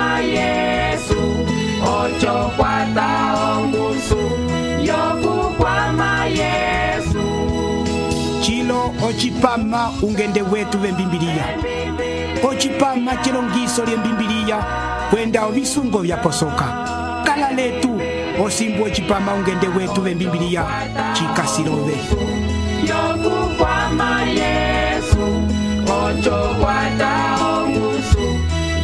kwama Yesu ocho kwata ongusu yoku kwama Yesu chilo ochipama ungende wetu vembimbiliya ochipama chilongiso lyembimbiliya kwenda ovisungo vyaposoka kala letu osimbu ochipama ungende wetu vembimbiliya chikasilove yoku kwama Yesu ocho kwata ongusu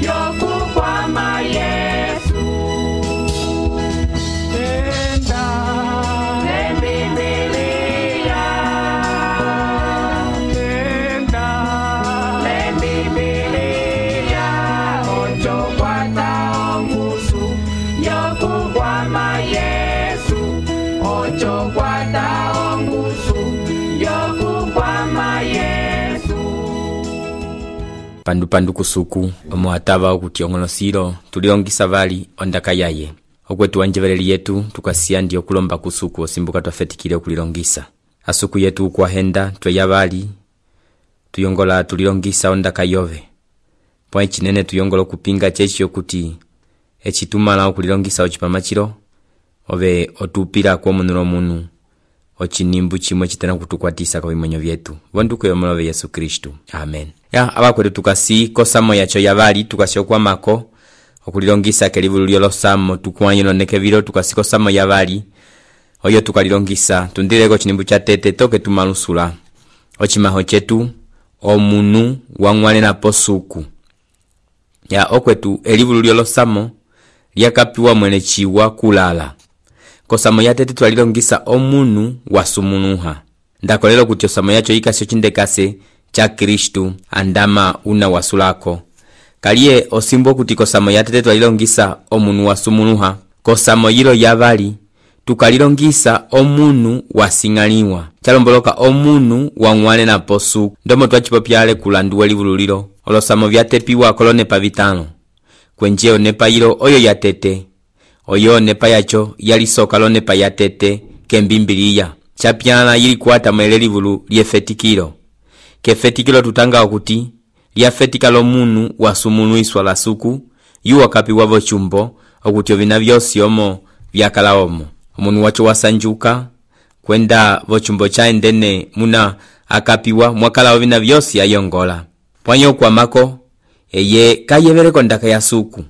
yoku kwama Yesu enda lembibiliya enda lembibiliya ocho kwata ongusu yoku kwama Yesu ocho kwata ongusu yoku kwama Yesu pandu kusuku omuatava okutiong'olosilo tuliongisa vali ondaka yaye okwetu wanjeveleli yetu tukasiya ndi okulomba kusuku osimbuka twafetikile okulilongisa asuku yetu ukwahenda tweya vali tuyongola tulilongisa ondaka yove pwa chinene tuyongola okupinga chechi kuti echitumala okulilongisa ochipama chilo ove otupila kwa munulo munu ochinimbu chimwe chitana kutukwatisa kwa vimonyo vyetu vonduko yomolove Yesu Kristu amen. Ya abakwetu tukasi kosamo yacho yavali tukasi okwamako okulilongisa kelivulu lyolosamo tukwanyilo nekevilo tukasi kosamo yavali oyo tukalilongisa tundileko chinimbu cha tete toke tumalusula ochimaho chetu omunu wang'wale na posuku ya okwetu elivulu lyolosamo lyakapiwa mwene chiwa kulala kosamo ya tete twalilongisa omunu wasumunuha ndakolelo kuti osamo yacho ikasi ochindekase cha Kristu andama una wasulako kaliye osimbo kuti kosamo ya tete twalilongisa omunu wasumunuha kosamo yilo yavali tukalilongisa omunu wasing'aliwa chalomboloka omunu wang'wale na posuku ndomo twachipopyale kulanduwe livululilo olosamo vyatepiwa kolonepa vitano kwenje onepa yilo oyo yatete oyo nepa yacho yalisoka lonepa yatete kembimbiliya chapyana yili kuata mwele livulu lyefetikilo kefetikilo tutanga okuti lyafetika lomunu wasumunuiswa la suku yuwa kapiwa vochumbo okuti ovina vyosi omo vyakala omo omunu wacho wasanjuka kwenda vochumbo chaendene muna akapiwa mwakala ovina vyosi ayongola pwanyo kwa mako eye kayeveleko ndaka ya suku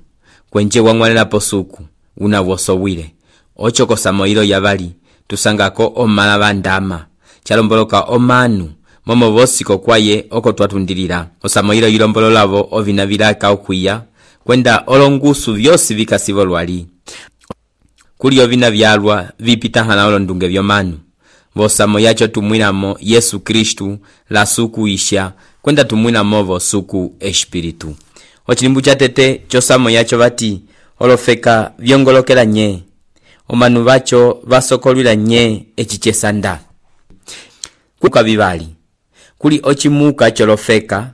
kwenje wang'walela posuku una wosowile ocho kosamo ilo yavali tusangako omala vandama chalomboloka omanu momo vosiko kwaye oko twatundilila osamo ilo yilombololavo ovina vilaka okwiya kwenda olongusu vyosi vikasivo lwali kuli ovina vyalwa vipitahana olondunge vyomanu vosamo yacho tumwinamo Yesu Kristu la suku isha kwenda tumwinamo vosuku espiritu ochilimbu cha tete chosamo yacho vati olofeka vyongolokela nye omanu vacho vasokolwila nye echichesanda kuka vivali kuli ochimuka cholofeka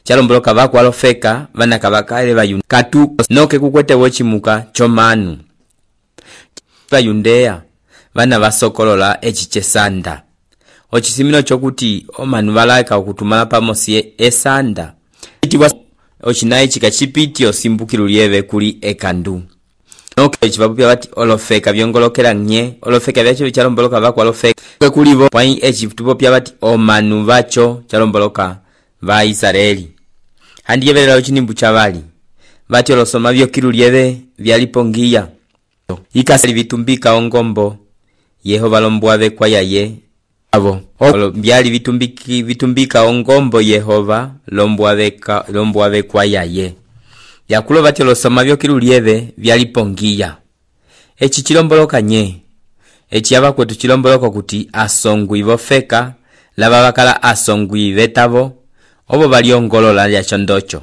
chalomboloka vakwa lofeka vanaka vakale vayundeya katu noke kukwete wochimuka chomanu vayundeya vana vasokolola echichesanda ochisimino chokuti omanu valaika okutumala pamosi esanda ochinayi chikachipiti osimbukilu lyeve kuli ekandu noke chivapupya vati olofeka vyongolokela nye olofeka vyacho vichalomboloka vakwa lofeka kulivo pwayi echitupopya vati omanu vacho chalomboloka va Israeli handiyevelela ochinimbu chavali vati olosoma vyokilu lyeve vyalipongiya ikasali vitumbika ongombo Yehova lombwave kwa yaye avo byali vitumbika ongombo Yehova lombwave kwa yaye yakulo vati olosoma vyokilu lyeve vyalipongiya echi chilomboloka nye echi abakwetu chilomboloka kuti asongwi vofeka lava bakala asongwi vetavo obo baliongolola lyacho ndocho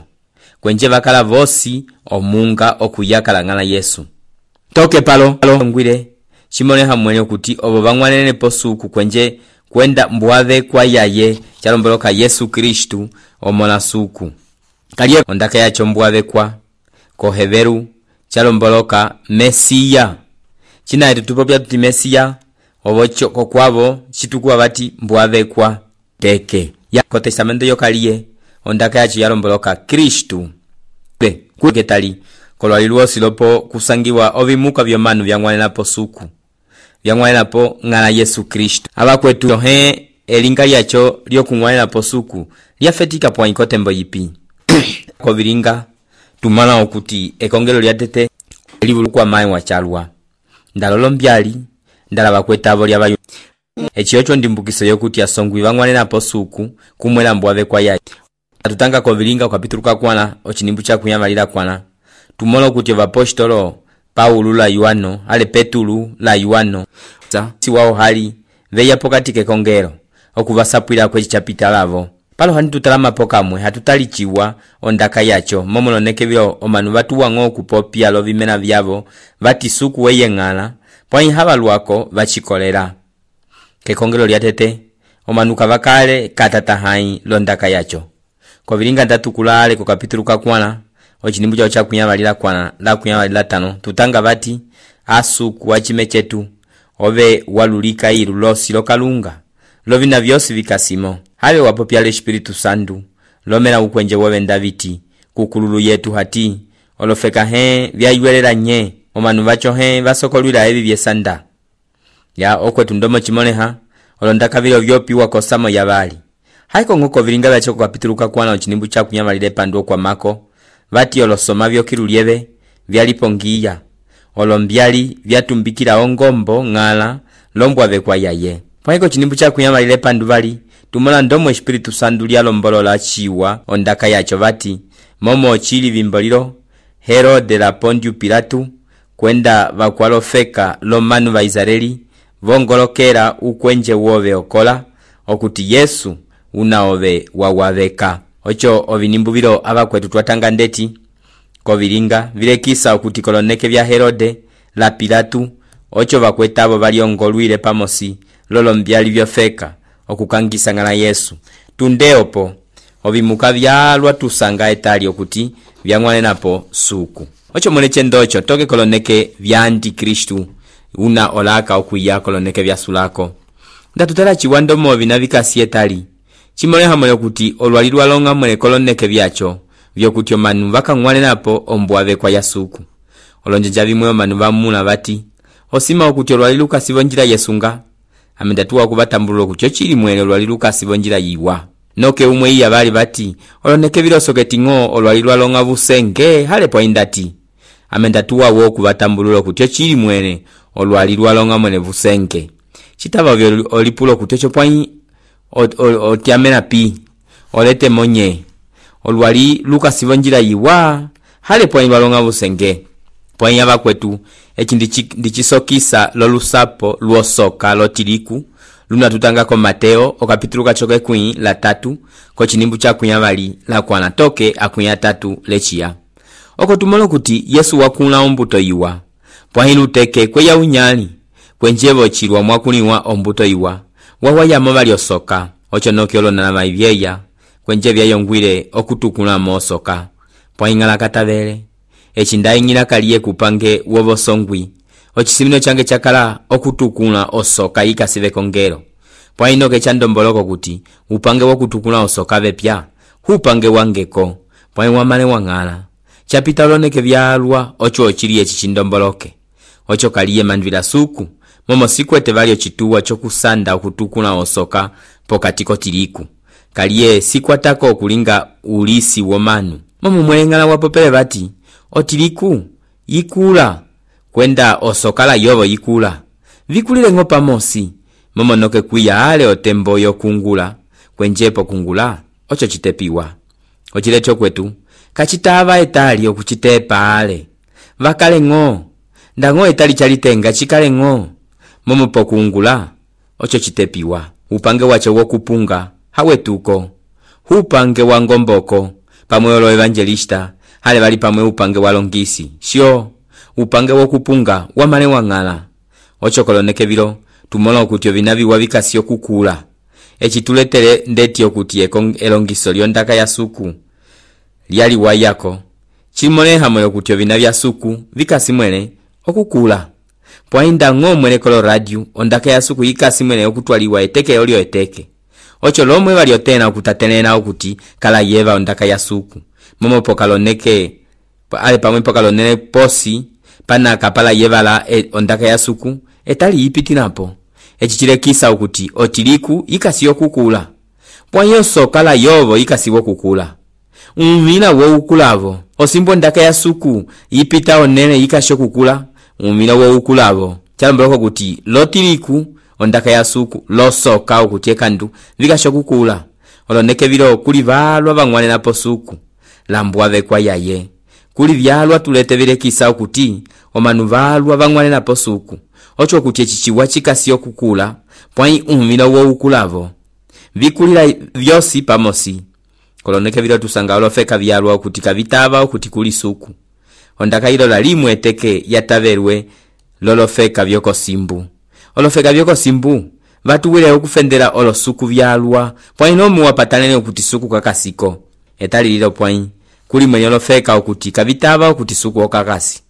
kwenje bakala vosi omunga okuyakala ngala Yesu toke palo ngwire chimone hamwene kuti obo bangwanene posuku kwenje kwenda mbwave kwa yaye chalomboloka Yesu Kristu omola suku kaliye ondaka yacho mbwave kwa koheveru chalomboloka Mesiya china tutupopya tuti Mesiya obocho kokwabo chitukuwa bati mbwave kwa teke ya kotesamento yokaliye ondaka yacho yalomboloka Kristu kuketali kolwaliluo silopo kusangiwa ovimuka vyomanu vyang'wanelapo suku vyang'wanelapo ng'ala Yesu Kristu. Abakwetu tohe elinga lyacho lyokung'wanelapo suku lyafetika pwaiko tembo yipi kovilinga tumala okuti ekongelo lyatete libulukwa mai wachalwa ndalolo mbyali ndala bakwetabo lyabayo echiyocho ndimbukiso yokuti asongwi bang'wanelapo suku kumwela mbwave kwa yayi atutanga kovilinga ukapituluka kwana ochinimbu cha kunyamalira kwana tumola kuti vapostolo Paulo la Yohano ale Petulu la Yohano si wao hali veya pokati kekongero okuvasapwira kwe chapita lavo palo hanitutala pokamwe hatutalichiwa ondaka yacho momolonekebyo omanu batuwango kupopia lovimena vyavo vati suku weyeng'ala pwai habalwako vachikolera kekongero lyatete omanu kavakale katatahai londaka yacho kovilinga ndatukulale ku kapitulu kakwana ochinimbu chao cha kunyamalira kwana la kunyamalira tano tutanga bati asuku wachime chetu ove walulika ilu losi lokalunga lovina vyosi vikasimo habe wapopya le Espiritu Santu lomela ukwenje wowe ndaviti kukululu yetu hati olofeka vyaywelela nye omanu bacho basokolwila ebi byesanda ya okwetu ndomo chimoneha olondaka vilo vyopiwa kosamo yabali haiko ngoko vilinga byacho kapituluka kwana ochinimbu cha kunyamalira pando kwa mako vati olosoma vyokilulyeve vyalipongiya olombyali vyatumbikira ongombo ng'ala lombwave kwa yaye pwaiko chinimbu cha kunyamalira pandu bali tumola ndomo Espiritu Santu lyalombolola chiwa ondaka yacho vati momo chili vimboliro Herode la Pontiu Pilatu kwenda vakwalofeka lomanu va Israeli vongolokera ukwenje wove okola okuti Yesu unaove wawaveka ocho ovinimbu vilo abakwetu twatanga ndeti kovilinga vilekisa okuti koloneke vya Herode la Pilatu ocho bakwetabo baliongolwile pamosi lolo mbyali vyofeka okukangisa ngala Yesu tundeopo ovimuka vyalwa tusanga etali okuti vyang'wanenapo suku ocho moleche ndocho toke koloneke vya Antikristu una olaka okuya koloneke vya sulako ndatutala chiwando movi na vikasi etali chimole hamole kuti olwalirwa longa mwele koloneke vyacho vyokuti omanu vakang'wanenapo ombwave kwa yasuku olonjenja vimwe omanu vamuna vati osima okuti olwaliluka sivonjira Yesunga amendatuwa kubatambulula kucho chili mwele olwaliluka sivonjira yiwa noke umwe iya bali bati oloneke vilosoketi ng'o olwalirwa longa busenge hale po indati amendatuwa wo kubatambulula kucho chili mwele olwalirwa longa mwele busenge chitaba vyo olipulo kucho pwai otiamena pi olete monye olwali luka sivonjira yiwa hale pwai balonga busenge pwai abakwetu ndichisokisa lolusapo luosoka lotiliku luna tutanga ko Mateo okapitulu kachoke kui la 3 ko chinimbu cha kunyabali la kwana toke akunya 3 lechia oko tumolo kuti Yesu wakula ombuto yiwa pwai luteke kwe ya unyali kwenjevo chilwa mwakuliwa ombuto yiwa wawaya mobali osoka ocho noki olona na maivyeya kwenje vyayongwile okutukula mosoka pwai ngala katabele echindayi ngila kaliye kupange wobosongwi ochisimino change chakala okutukula osoka ikasive kongero pwai noke chandomboloko kuti upange wokutukula osoka vepya hupange wangeko pwai wamale wangala chapita loneke vyalwa ocho ochiliye chichindomboloke ocho kaliye mandvila suku momo sikwete valio chituwa chokusanda okutukula osoka pokatiko tiliku kaliye sikwatako okulinga ulisi womanu momo mwengala wapopele bati otiliku yikula kwenda osokala yobo yikula vikulile ng'o pamosi momo noke kuya ale otembo yokungula kwenjepo kungula ocho chitepiwa ochilecho kwetu kachitava etali okuchitepa ale vakale ng'o ndang'o etali chalitenga chikale ng'o momo pokungula ocho chitepiwa upange wacho wokupunga hawetuko upange wa ngomboko pamwe olo evangelista hale bali pamwe upange wa longisi sio upange wokupunga wamale wangala ocho koloneke vilo tumola okuti ovinavi wabikasi okukula echituletere ndeti okuti elongiso lyondaka ya suku lyali wayako chimone hamwe okuti ovina vya suku vikasi mwele okukula pwainda ng'o mwele kolo radio ondaka ya suku ikasi mwele okutwaliwa eteke olio eteke ocho lomwe baliotena okutatenena okuti kala yeva ondaka ya suku momo pokaloneke ale pamwe pakalonele posi panaka pala yevala ondaka ya suku etali ipitinapo. Eci chilekisa ukuti otiliku ikasiyo kukula. Pwanyoso kala yovo ikasiwo kukula. Umila wo ukulavo. Osimbo ndaka ya suku ipita onene ikasho kukula. Umila wo ukulavo. Chalomboloko kuti lotiliku ondaka ya suku losoka ukuti ekandu vikasho kukula. Oloneke vilo kuli valwa vangwane na posuku. Lambuwa vekwa yaye. Kuli vyalwa tulete vilekisa ukuti omanu valwa vangwane na posuku. Ocho kuti echichiwa chikasiyo kukula. Pwai umila wo ukulavo. Vikulila vyosi pamosi. Koloneke vilo tusanga olofeka vyalwa ukuti kavitava ukuti kuli suku. Ondaka ilo la limu eteke yataverwe lolofeka vyoko simbu. Olofeka vyoko simbu vatuwile ukufendela olosuku vyalwa. Pwai nomu wapatanene ukuti suku kakasiko. Etali lilo pwai kuli mwenye olofeka ukuti kavitava ukuti suku okakasi.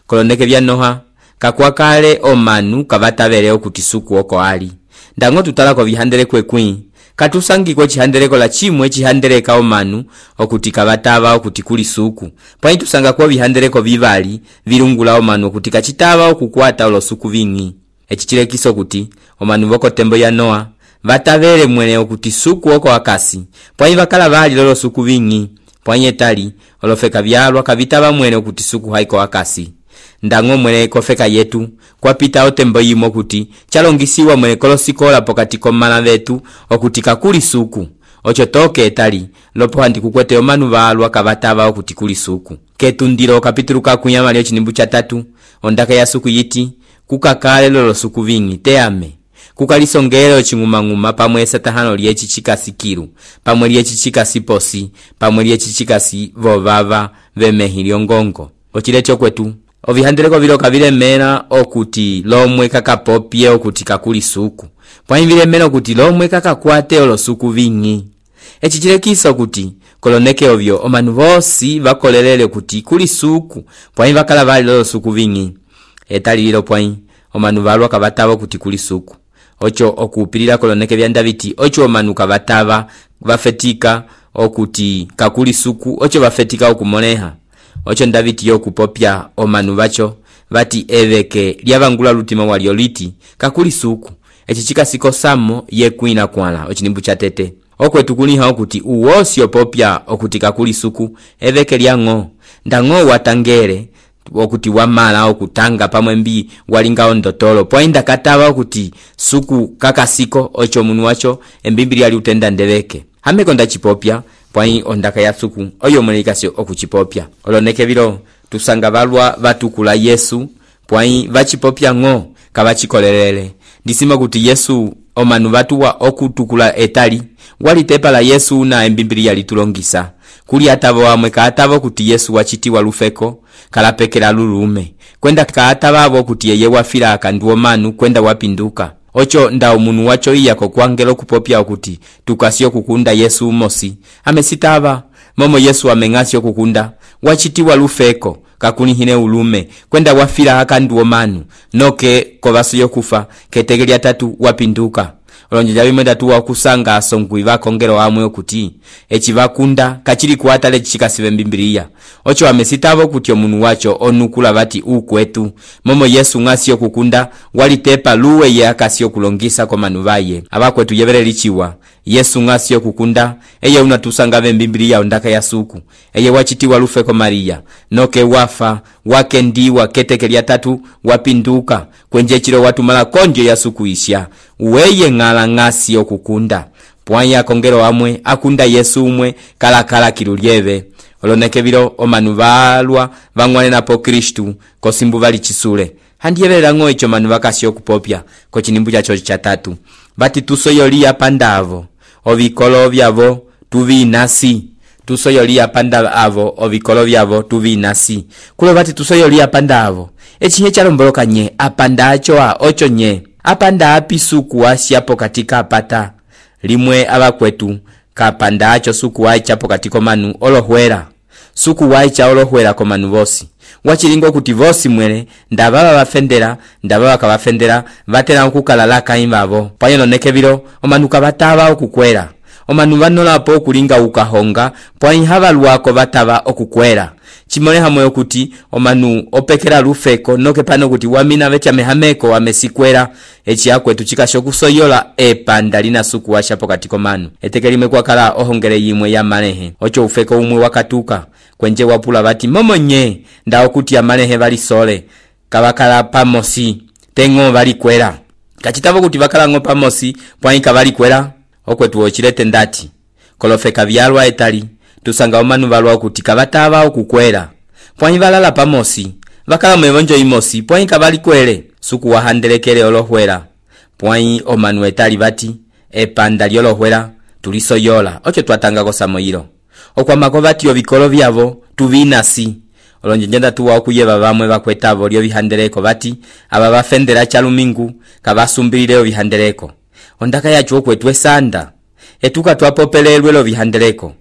Koloneke vyanoha kakwakale omanu kavatavele ukuti suku oko ali. Ndango tutalako vihandele kwekwi. Katusangiko chihandeleko la chimwe chihandeleka omanu okuti kavatava okuti kuli suku. Pwai tusanga kwa vihandeleko vivali virungula omanu okuti kachitava okukwata olosuku vingi. Echichilekiso okuti omanu voko tembo ya Noa vatavele mwene okuti suku oko akasi. Pwai vakala vali lolo suku vingi. Pwai etali olofeka vyalwa kavitava mwene okuti suku haiko akasi. Ndango mwene kofeka yetu kwa pita otembo yimo kuti chalongisiwa mwene kolosikola pokati komala vetu okuti kakuli suku. Ocho toke etali lopo handi kukwete omanu valwa kavatava okuti kuli suku. Ketundiro kapitulu kakunyama lio chinimbu cha 3 ondaka ya suku yiti kukakale lolo suku vingi teame. Kukalisongelo chingumanguma pamwe satahano liechi chikasi kiru, pamwe liechi chikasi posi, pamwe liechi chikasi vovava vemehilio ngongo. Ochilecho kwetu ovihandeleko vilo kavile mena okuti lomwe kakapopye okuti kakuli suku. Pwai vile mena okuti lomwe kakakwate olosuku vingi. Echichilekisa okuti koloneke ovyo omanu vosi vakolelele okuti kuli suku. Pwai vakala vali olosuku vingi. Etali lilo pwai omanu valwa kavatava okuti kuli suku. Ocho okupilila koloneke vya Ndaviti ocho omanu kavatava vafetika okuti kakuli suku. Ocho vafetika okumoneha. Ocho Ndaviti yo kupopya omanu vacho vati eveke lyavangula lutima walio liti kakuli suku. Echichika siko samo yekuina kwala ochinimbu cha tete. Okwetu kuniha okuti uwosi opopya okuti kakuli suku eveke lyango. Ndango watangere okuti wamala okutanga pamwembi walinga ondotolo. Pwainda katava okuti suku kakasiko ocho munu wacho embimbili ali utenda ndeveke. Hamekonda chipopya pwai ondaka ya suku oyo mwelikasyo okuchipopya. Oloneke vilo tusanga valwa vatukula Yesu pwai vachipopya ngo kavachikolelele. Disima kuti Yesu omanu vatuwa okutukula etali walitepa la Yesu na embimbili yali tulongisa. Kuli atavo wamwe kaatavo kuti Yesu wachitiwa lufeko kalapekela lulume. Kwenda kaatavo kuti yeye wafila akanduo manu kwenda wapinduka. Ocho nda umunu wacho iyako kwangelo kupopya okuti tukasio kukunda Yesu mosi. Amesitava momo Yesu amengasio kukunda wachitiwa lufeko kakunihine ulume kwenda wafila akanduo manu noke kovaso yokufa ketegeli atatu wapinduka. Olonjeja bimwenda tuwa kusanga asongwi vakongero amwe okuti echivakunda kachiri kuatale chikasive mbimbiliya. Ocho amesitavo kuti omunu wacho onukula vati ukwetu momo Yesu ngasio kukunda walitepa luwe ye akasio kulongisa kwa manuvaye. Abakwetu yevele lichiwa Yesu ngasio kukunda eye unatusanga mbimbiliya ondaka ya suku eye wachitiwa lufeko Maria noke wafa wakendiwa ketekeli atatu wapinduka kwenjechiro watu mala konjo ya suku isya uweye ngala ngasio kukunda. Pwai akongero amwe akunda Yesu umwe kala kirulieve. Oloneke vilo omanu valwa vangwane na po Kristu kosimbu vali chisule. Handiyevela ngo icho manu vakasio kupopya ko chinimbu cha chochi cha 3. Bati tusoyolia pandavo ovikolo vyavo tuvi nasi. Tusoyolia pandavo ovikolo vyavo tuvi nasi. Kulo bati tusoyolia pandavo echinye chalomboloka nye apanda achoa ocho nye. Apanda api suku wasiapo katika apata. Limwe abakwetu kapanda acho suku waichapo katiko manu olohwera. Suku waicha olohwera ko manu vosi. Wachilingo kuti vosi mwene ndababa bafendera ndababa kabafendera vatera okukalalaka imbavo. Panyelo nekevilo omanu kabatava okukwera. omanu vanolapo okulinga ukahonga pwai havalwako vatava okukwera chimole hamwe okuti omanu opekera lufeko noke pano kuti wamina vechamehameko wamesikwera echi akwetu chikasho kusoyola epanda lina suku washa pokati komanu etekelime kwakala ohongele yimwe ya malehe ocho ufeko umwe wakatuka kwenje wapula vati momonye ndao kuti amalehe valisole kavakala pamosi tengo valikwera kachitavo kuti vakalango pamosi pwai kavalikwera okwetu ochilete ndati kolofeka vyalwa etali tusanga omanu valwa kuti kavatava okukwera pwai valala pamosi vakala mwevonjo imosi pwai kavalikwele suku wahandelekele olohwera pwai omanu etali vati epanda lyolohwera tulisoyola ocho twatanga kosamoyilo okwamako vati ovikolo vyavo tuvinasi olonjenjenda tuwa okuyeva vamwe vakwetavo lyo vihandeleko vati aba bafendera chalumingu kabasumbilile vihandeleko ondaka yacho okwetu esanda etuka twapopelelwe lo vihandeleko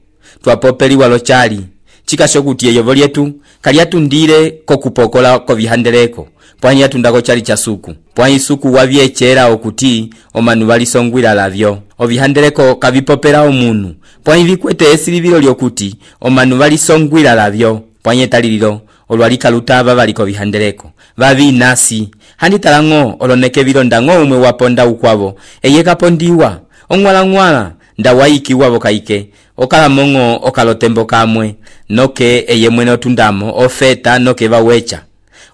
twapopeliwa lo chali chikasho kuti eyovo lyetu kalyatundile kokupokola ko vihandeleko pwani yatundako chali cha suku pwani suku wavyechera okuti omanu valisongwila lavyo ovihandeleko kavipopela omunu pwani vikwete esilivilo lyokuti omanu valisongwila lavyo pwani etalililo olwalika lutava valiko vihandeleko vavinasi handitalango oloneke vilondango umwe waponda ukwavo eyekapondiwa ongwala ndawaikiwa vokaike okalamongo okalotembo kamwe noke eyemwene otundamo ofeta noke vawecha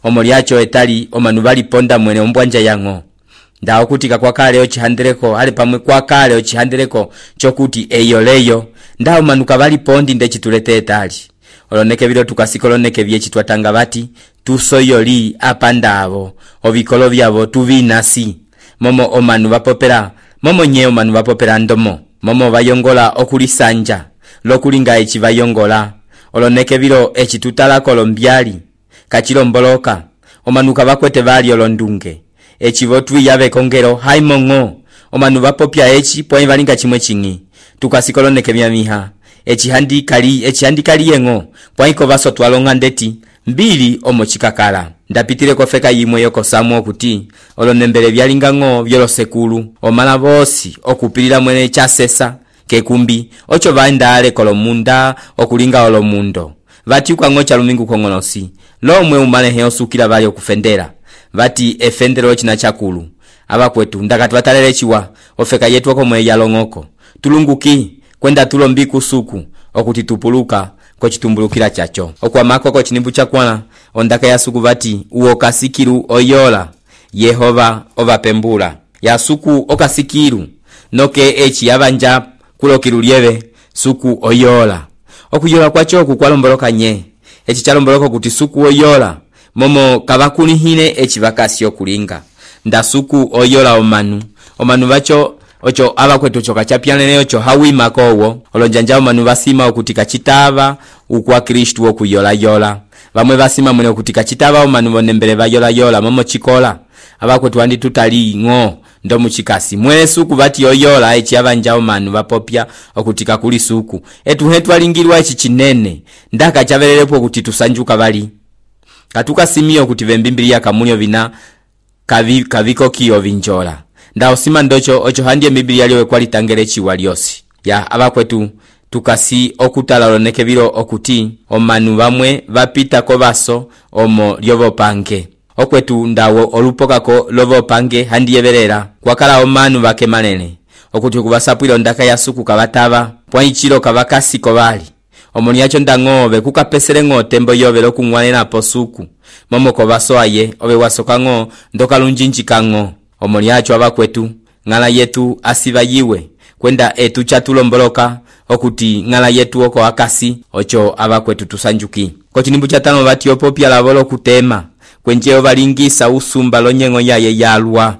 omolyacho etali omanu valiponda mwene ombwanja yango ndao kutika kwa kale ochihandeleko ali pamwe kwa kale ochihandeleko chokuti eyoleyo ndao manuka valipondi ndechitulete etali oloneke vilo tukasikoloneke vyechi twatanga vati tusoyoli apandavo ovikolo vyavo tuvinasi momo omanu vapopera momo nye omanu vapopera ndomo momo vayongola okulisanja lokulinga echi vayongola oloneke vilo echi tutala kolombyali kachilomboloka omanu kavakwete vali olondunge echi votwi yave kongero haimongo omanu vapopya echi pwai valinga chimwe chingi tukasikoloneke vyamiha echi handikali yengo pwaiko vaso twalonga ndeti mbili omochikakala ndapitile kofeka yimwe yoko samu kuti olonembele vyalingango vyolosekulu omala vosi okupilila mwene chasesa kekumbi ocho vaendale kolomunda okulinga olomundo vati ukwango chalumingu kongonosi lomwe umalehe osukila vali okufendera vati efendero china chakulu abakwetu ndakati vatalelechiwa ofeka yetu okomwe yalongoko tulunguki kwenda tulombi kusuku okuti tupuluka kochitumbulukila chacho okwamako kochinimbu chakwana ondaka ya suku vati uokasikiru oyola Yehova ovapembula ya suku okasikiru noke echi yavanja kulokiru lyeve suku oyola okuyola kwacho kukwalomboloka nye echi chalomboloko kuti suku oyola momo kavakunihile echi vakasi okulinga nda suku oyola omanu vacho ocho abakwetu choka chapyanene ocho hawima kowo olonjanja omanu vasima okutika chitava ukwa Kristu okuyola vamwe vasima mwene okutika chitava omanu bonembele vayola momo chikola abakwetu andi tutali ngo ndo muchikasi mwene suku vati oyola echi avanja omanu vapopya okutika kuli suku hetu alingirwa echi chinene ndaka chavelelepo okuti tusanjuka vali katuka simio kuti vembimbilia kamunyo vina kaviko kiyo vinjola ndao sima ndocho ocho handie Biblia liwe kwa litangele chiwa liosi ya abakwetu tukasi okutala loneke vilo okuti omanu vamwe vapita ko baso omo lyovo pange okwetu ndawo olupokako lovo pange handie verera kwakala omanu vake manene okuti kubasapwilo ndaka ya suku kavatava pwaichilo kavakasi kovali omoni yacho ndangove kukapesele ngo tembo yove lokungwanena posuku momo ko baso aye obe wasokango ndokalunjinjikango omoni yacho abakwetu ngala yetu asiva yiwe kwenda etu chatulomboloka okuti ngala yetu oko akasi ocho abakwetu tusanjuki kochinimbu chatano vati opopya lavolo kutema kwenjeo valingisa usumba lonyengo yaye yalwa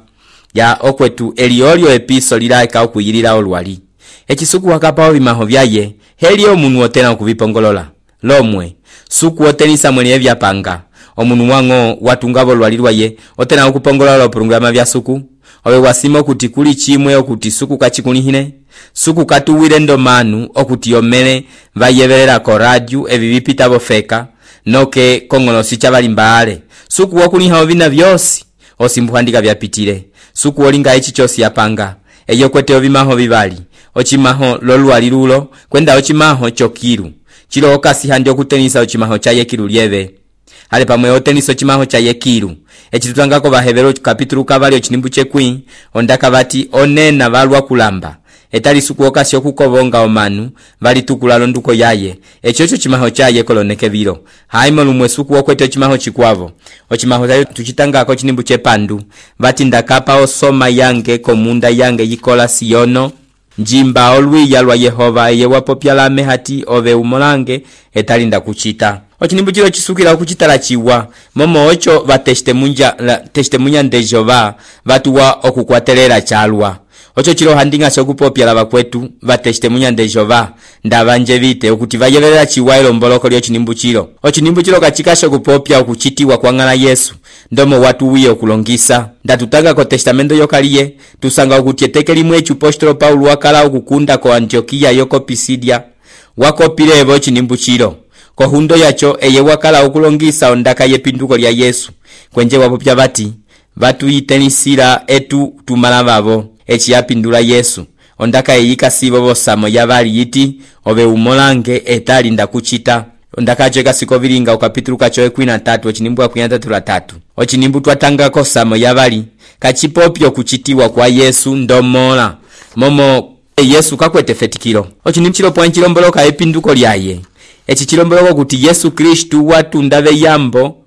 ya okwetu eliolio episo lilaika okuyilila olwali echisuku wakapao vimaho vyaye helio munu otena okuvipongolola lomwe suku otenisa mwene vyapanga omunu wango watungavo lwalirwa ye otena okupongolola programa vya suku owe wasimo okuti kuli chimwe okuti suku kachikunihine suku katuwile ndomanu okuti yomene vayeverera ko radio evivipita bofeka noke kongonosi chavalimbale suku wakuniha ovina vyosi osimbuhandika vyapitile suku olinga echi chosi yapanga eyo kwete ovimaho vivali, ocimaho lolwali lulo kwenda ocimaho chokilu. Chilo okasi handi okutenisa ocimaho cha yekilu lieve. Ale pamwe otenisa ocimaho cha yekilu. Echitutangako bahevero kapitulu kavali ochinimbu chekwi, ondaka bati onena valwa kulamba. Etali suku okasi okukobonga omanu, vali tukula londuko yaye. Echocho chimaho chaye koloneke vilo. Haimo lumwe suku okwete ocimaho chikwavo. Ocimaho chayo tuchitangako chinimbu chepandu. Vati ndakapa osoma yange komunda yange yikola siyono. Njimba olwiya lwa Yehova eye wapopyalame hati ove umolange etali ndakuchita. Ochinimbu chilo chisukila okuchitala chiwa. Momo ocho vatestemunya nde Jehova vatuwa okukwatelera chalwa. Ocho chilo handinga sokupopyala bakwetu vatestemunya nde Jehova ndabanje vite okuti vayelela chiwa elomboloko lyo chinimbu chilo. Ochinimbu chilo kachikasha okupopya okuchitiwa kwa ngala Yesu ndomo watu wiye okulongisa. Ndatutanga ko testamento yokaliye tusanga okuti etekeli mwechu apostolo Paulo wakala okukunda ko Antiokia yoko Pisidia wakopile evo chinimbu chilo. Ko hundo yacho eye wakala okulongisa ondaka yepinduko lya Yesu kwenje wapopya bati batu yitenisira etu tumala babo echi yapindula Yesu ondaka eyika sibo bosamo yabali yiti ove umolange etali ndakuchita. Ondaka cheka sikovilinga ukapitulu kacho 13 ochinimbu akuyantatula 3 ochinimbu twatanga kosamo yabali kachipopyo kuchitiwa kwa Yesu ndomola momo Yesu kakwete fetikilo. Ochinimbu chilo point chilomboloka epinduko lyaye. Echi chilomboloko kuti Yesu Kristu watunda yambo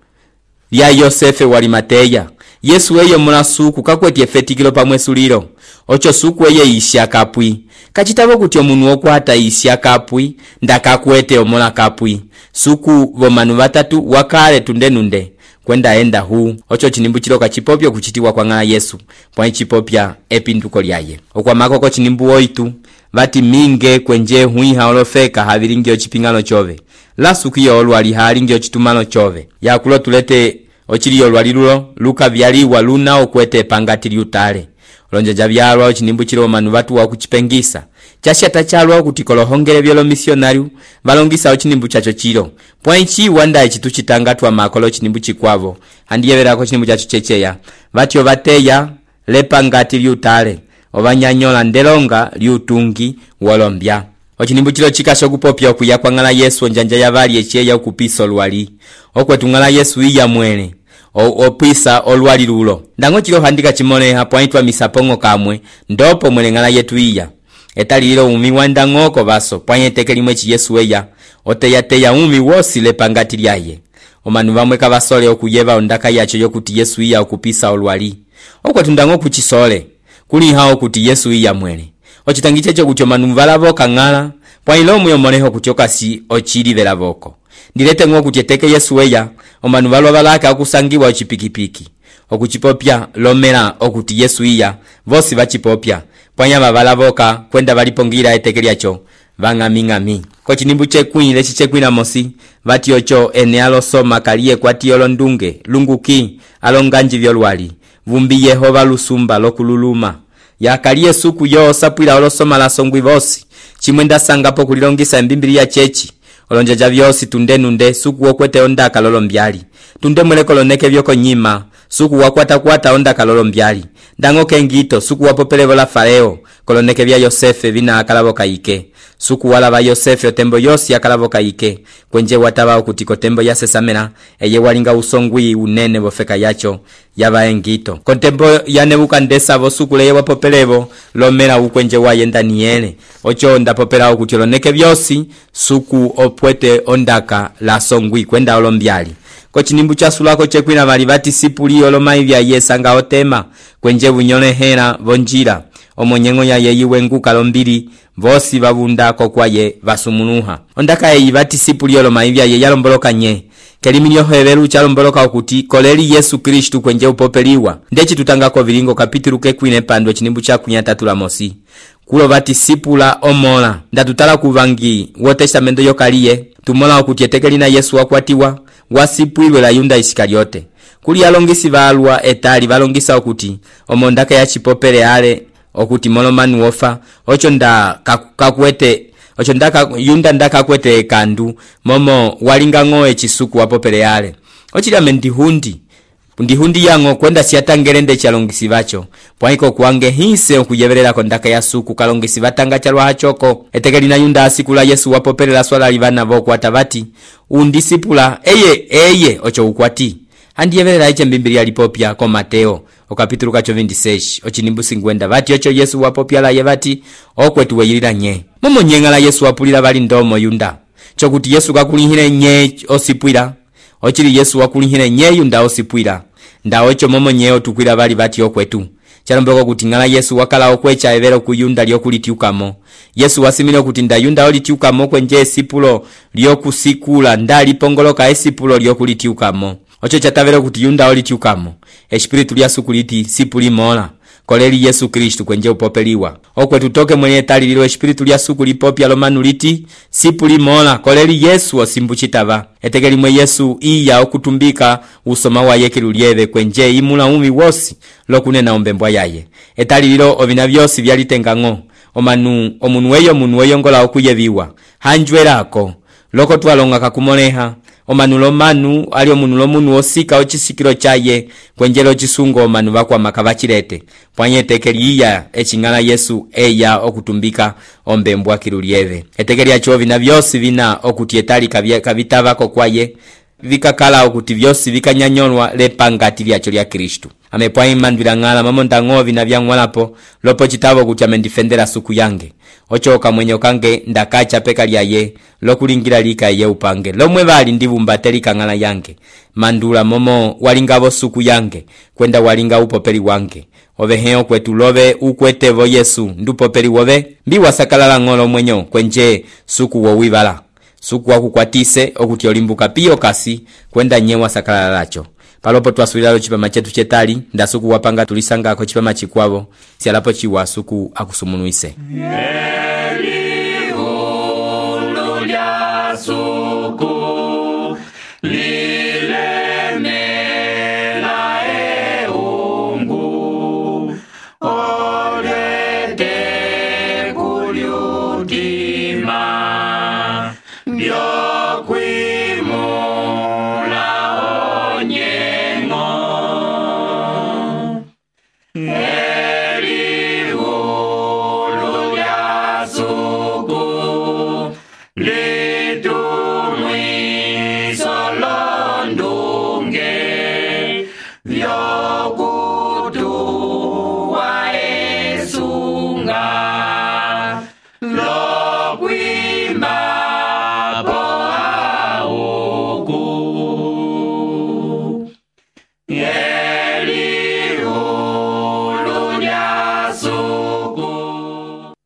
lya Yosefe wali Mateya. Yesu eyo mula suku kakweti efetikilo pamwe suliro. Ocho suku eye isya kapwi. Kachitabo kuti omunu okwata isya kapwi ndakakwete omola kapwi. Suku vomanu batatu wakale tundenunde kwenda enda hu. Ocho chinimbu chilo kachipopyo kuchitiwa kwa ngala Yesu pwa chipopya epinduko lyaye. Okwa makoko chinimbu oitu vati minge kwenje huiha olofeka haviringio chipingano chove. Lasukiyo olwali haringio chitumano chove. Yakulo tulete ochiliyo olwali lulo luka vyaliwa luna okwete pangati liutale. Olonjaja vyalwa ochinimbu chilo manu vatu wakuchipengisa. Chashata chalwa kuti kolohongele vyolo misionariu valongisa ochinimbu chacho chilo. Pwanchi wanda echitu chitangatwa makolo chinimbu chikwavo. Handiyeverako chinimbu chacho checheya. Vatio vateya lepangati liutale. Obanyanyola ndelonga liutungi wolombya. Ochinimbu chilo chikasho kupopya okuya kwa ngala Yesu onjanja yavali echeya okupisa olwali. Okwetu ngala Yesu iya mwene opisa olwali lulo. Ndango chilo handika chimone hapo aitwa misapongo kamwe ndopo mwene ngala yetu iya. Etali lilo umi wandangoko baso pwanye tekeli mwechi Yesu eya oteya umi wosi lepangati lyaye. Omanu bamwe kabasole okuyeva ondaka yacho yokuti Yesu iya okupisa olwali. Okwetu ndango kuchisole kuli hao kuti Yesu iya mwene. Ochitangiche cho kucho manu valavoka ngala pwa ilo muyomoneho kuchoka si ochili velavoko. Ndilete ngo kuti eteke Yesu eya omanu valwa valaka okusangiwa ochipikipiki. Okuchipopya lomela okuti Yesu iya vosi vachipopya pwanya valavoka kwenda valipongira eteke lyacho vang'aming'ami. Ko chinimbu chekwile chichekwila mosi vati ocho ene alosoma kaliye kwati olondunge lunguki alonganji vyolwali vumbi Yehova lusumba lokululuma. Yakaliye suku yo sapwila olosoma la songwi vosi chimwenda sangapo kulilongisa mbimbili ya chechi. Olonjaja vyosi tundenunde suku okwete ondaka lolombyali. Tunde mwele koloneke vyoko nyima suku wakwata ondaka lolombyali. Dango kengito suku wapopelevo la Fareo koloneke vya Yosefe vina akalavoka ike. Suku wala va Yosefe otembo yosi akalavoka ike. Kwenje wataba okutiko tembo ya sesamena eye walinga usongwi unene vofeka yacho yava engito. Kontembo ya Nebukadneza vosuku leye wapopelevo lomela ukwenje waye Daniele. Ocho ndapopela okuti oloneke vyosi suku opwete ondaka la songwi kwenda olombyali. Ko chinimbu cha sulako chekwina vali vati sipuli olomai vya yesanga otema kwenje bunyole hera vonjira. Omonyengo ya yeyiwe nguka lombili vosi vabundako kwaye vasumunuha. Ondaka yeyi vati sipuli olomai vya ye yalomboloka nye. Kelimini yoheveru chalomboloka okuti koleli Yesu Kristu kwenje upopeliwa. Ndechi tutangako vilingo kapitilu kekwine pandwe chinimbu cha kunyatatula mosi. Kulo vati sipula omola. Ndatutala kuvangi wotestamento yokaliye. Tumola okuti etekeli na Yesu wakwatiwa. Wasipulwe la Yunda Iskariote. Kuli alongisi valwa etali valongisa okuti omondaka ya chipopele ale okuti molomanu wofa ocho nda kakwete ocho ndaka Yunda ndaka kwete kandu momo walinga ngoe chisuku wapopele ale. Ochila mendihundi ndihundi yango kwenda siatangelende chalongisi vacho pwaiko kuange hise okuyevelela kondaka ya suku kalongisi vatanga chalwa hachoko etekeli na yunda asiku la Yesu wapopelela swala livana vokwata vati undisipula eye ocho ukwati handiyevelela iche mbimbilia lipopya ko Mateo okapitulu kacho 26 ochinimbusi ngwenda vati ocho Yesu wapopya la yevati okwetu weyilila nye momo nyengala Yesu wapulila vali ndomo yunda chokuti Yesu kakulihile nye osipwila ochili Yesu wakulihile nye yunda osipwila ndawo echo momo nyeo tukwila vali vati okwetu chalombeko kuti ngala Yesu wakala okwecha evero kuyunda lyokulitiukamo Yesu wasimile kuti nda yunda olitiukamo kwenje esipulo lyokusikula ndali pongoloka esipulo lyokulitiukamo ocho chatavero kuti yunda olitiukamo espiritu lya sukuliti sipuli mola koleli Yesu Kristu kwenje upopeliwa okwetu toke mwenye tali lilo espiritu lya sukulipopya lomanuliti sipuli mola koleli Yesu osimbu chitava etekeli mwe Yesu iya okutumbika usoma wa yekilu lyeve kwenje imula umi wosi lokunena ombembwa yaye etali lilo ovina vyosi vyalitengang'o omunu weyo ngola okuyeviwa hanjwelako loko twalonga kakumoleha omanulo manu ali omunulo munu osika ochisikilo chaye kwenjelo chisungo manu bakwa makavachilete pwanye tekeli iya echingala Yesu eya okutumbika ombembwa kilulieve etekeli acho vina vyosi vina okuti etali kavitavako kwaye vikakala okuti vyosi vikanyanyolwa lepangati lyacho lya Kristu amepwa imandwila ngala mamonda ngovi na vyangwalapo lopo chitavo kuti amendifendera suku yange ochoka mwenye kange ndakacha peka lyaye lokulingira lika ye upange lomwe vali ndivumbateli ngala yange mandula momo walingavo suku yange kwenda walinga upopeli wange oveheo kwetu love ukwetevo Yesu ndupopeli wove mbiwa sakalala ngolo mwenyo kwenje suku wowivala suku wakukwatise okuti olimbuka piyo kasi kwenda nyewa sakalala lacho palopo twasuilalo chipama chetu chetali ndasuku wapanga tulisangako chipama chikwavo sialapo chiwa suku akusumunuise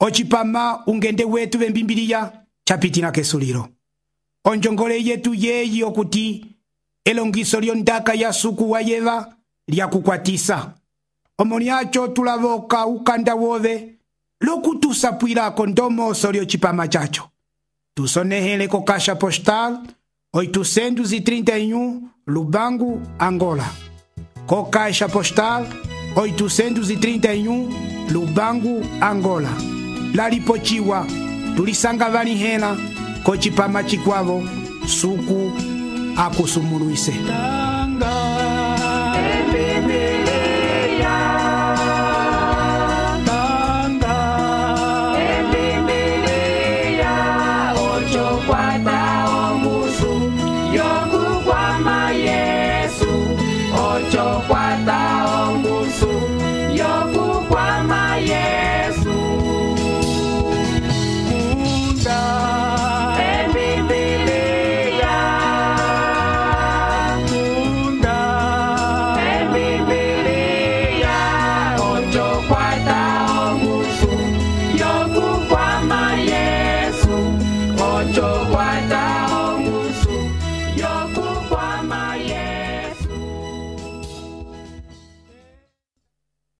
ochipama ungende wetu vembimbiliya chapitina kesuliro onjongole yetu yeyi okuti elongiso lyondaka ya suku wa yeva lyakukwatisa omoni acho tulavoka ukanda wove lokutusapwilako ndomoso lyochipama chacho tusonehele ko kasha postal 831 Lubangu, Angola. Ko kasha postal 831 Lubangu, Angola. Lalipochiwa tulisanga vali hela ko chipama chikwavo suku akusumuluise.